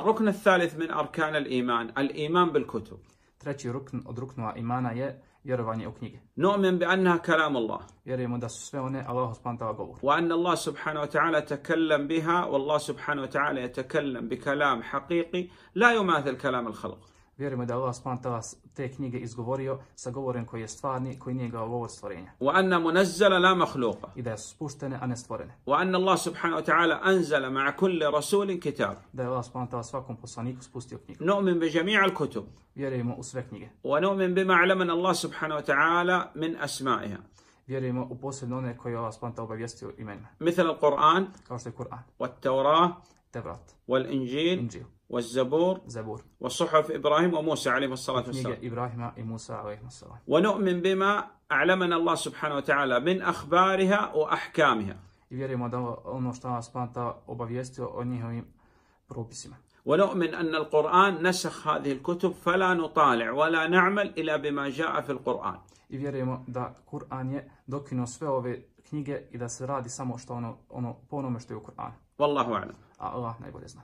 الركن الثالث من أركان الإيمان الإيمان بالكتب. Treći rukn od ruknova imana je vjerovanje u knjige. نؤمن بأنها كلام الله. Vjerujemo da su sve one Allahu subhanahu wa ta'ala govor. وأن الله سبحانه وتعالى تكلم بها والله سبحانه وتعالى يتكلم بكلام حقيقي لا يماثل كلام الخلق. Vjerujemo da Allah subhanahu wa ta'ala te knjige izgovorio sa govorom koji je stvarni, koji nije govor stvorenja. وأن منزل لا مخلوقة. I da su spuštene, a ne stvorene. وأن الله سبحانه وتعالى أنزل مع كل رسول كتاب. Da je Allah subhanahu wa ta'ala svakom poslaniku spustio knjigu. نؤمن بجميع الكتب. Vjerujemo u sve knjige. ونؤمن بما علمنا الله سبحانه وتعالى من أسمائها. Vjerujemo u posebno one koje Allah subhanahu wa ta'ala obavijestio imenima. مثل القرآن. Kao što je Kur'an. والتوراة. Tevrat. والإنجيل. Inđil. والزبور. Zabur. وصحف إبراهيم وموسى عليه الصلاة والسلام. Knjige Ibrahima i Musa alejhimu selam. ونؤمن بما علمنا الله سبحانه وتعالى من أخبارها وأحكامها. I vjerujemo da ono što Allah subhanahu wa ta'ala obavijestio o njihovim propisima. ونؤمن أن القرآن نسخ هذه الكتب فلا نطالع ولا نعمل إلا بما جاء في القرآن. I vjerujemo da Kur'an je dokinuo sve ove knjige i da se radi samo što ono po onome što je u Kur'anu. والله أعلم. A Allah najbolje zna.